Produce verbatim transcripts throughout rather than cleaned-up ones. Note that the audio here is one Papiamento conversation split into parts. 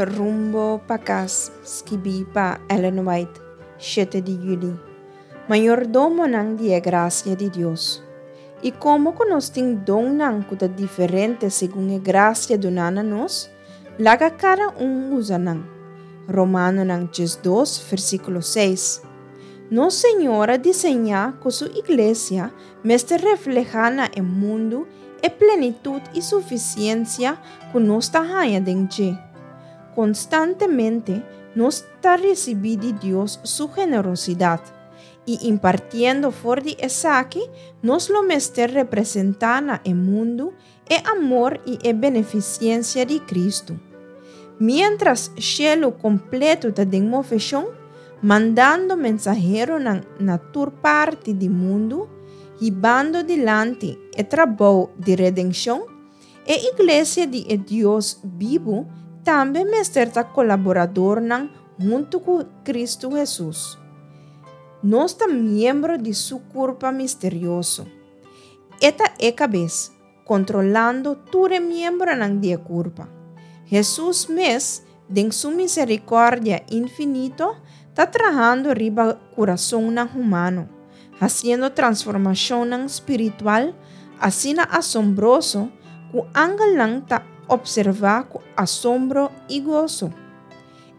Rumbo pa Kas, skibí pa Ellen White, shete di yüli. Mayordomonan di e grasia di Dios. I komo ku nos tin donnan ku ta diferente segun e grasia duná na nos, laga kada un usa nan. Romanonan diesdos, versíkulo seis. Nos Señor a diseñá ku su iglesia mester reflehá na e mundu e plenitut i sufisiensia ku nos ta haña den dje. Konstantemente nos ta risibí di Dios su generosidat, i impartiendo for di esaki, nos lo mester representá na e mundu e amor i e benefisiensia di Kristu. Miéntras shelu kompleto ta den moveshon, mandando mensaheronan na tur parti di mundu, hibando dilanti e trabou di redenshon, e iglesia di e Dios bibu tambe mester ta kolaboradornan huntu ku Kristu Hesus. Nos ta miembro di su kurpa misterioso. E ta e kabes, kontrolando tur e miembronan di e kurpa. Hesus mes, den su miserikòrdia infinito, ta trahando riba kurasonnan humano, hasiendo transformashonnan spiritual asina asombroso ku angelnan ta opservá ku asombro i goso.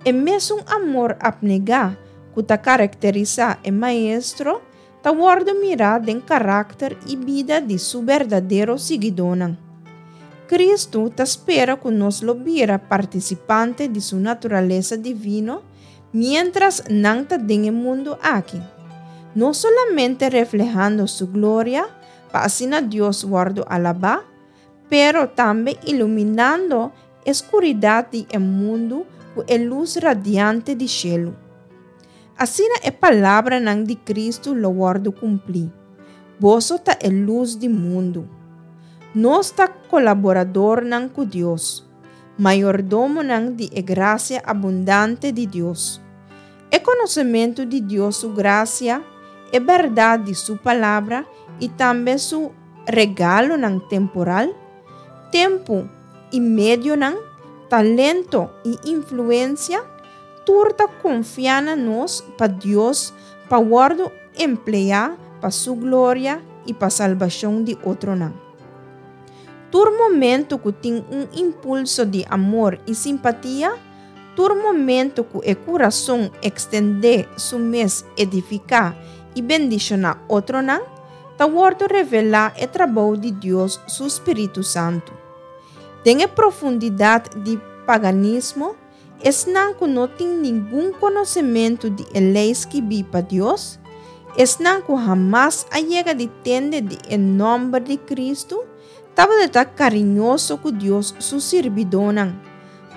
E mesun amor apnegá ku ta karakterisá e Maestro ta wòrdu mirá den karakter i bida di su berdadero siguidónan. Kristu ta spera ku nos lo bira partisipante di su naturalesa divino miéntras nan ta den e mundu aki, no solamente reflehando su gloria pa asina Dios wòrdu alabá, pero tambe iluminando e skuridat di e mundu ku e lus radiante di shelu. Asina e palabranan di Kristu lo wòrdu kumplí, Boso ta e lus di mundu. Nos ta kolaboradornan ku Dios, mayordomonan di e grasia abundante di Dios. E konosementu di Dios su grasia, e bèrdat di su Palabra i tambe su regalonan temporal, tempu i medionan, talento i influensia, tur ta konfiá na nos pa Dios pa wòrdu empleá pa su gloria i pa salbashon di otronan. Tur momento ku tin un impulso di amor i simpatia, tur momento ku e kurason ekstendé su mes edifiká i bendishoná otronan, ta wòrdu revelá e trabou di Dios su Spiritu Santu. Den e profundidat di paganismo, esnan ku no tin ningun konosementu di e lei skibí pa Dios, esnan ku hamas a yega di tende di e nòmber di Kristu, tabata ta kariñoso ku Dios su sirbidónan,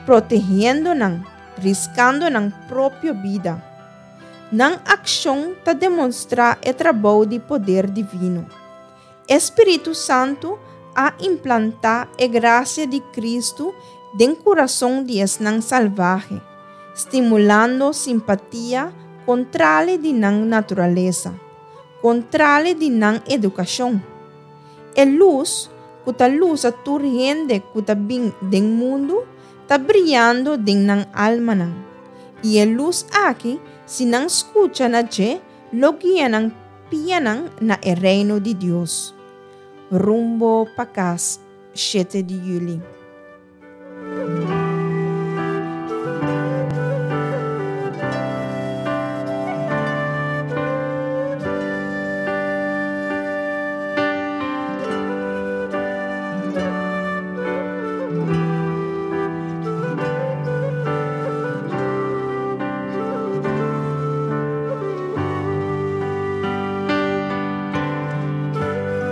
protehiendo nan, riskando nan propio bida. Nan akshon ta demostrá e trabou di poder divino. E Spiritu Santu a implantá e grasia di Kristu den kurason di esnan salvahe, stimulando simpatia kontrali di nan naturalesa, kontrali di nan edukashon. E lus, ku ta lusa tur hende ku ta bin den mundu, ta briando den nan almanan. I e lus aki, si nan skucha na dje, lo guia nan pianan na e reino di Dios. Rumbo pa Kas, shete di yüli.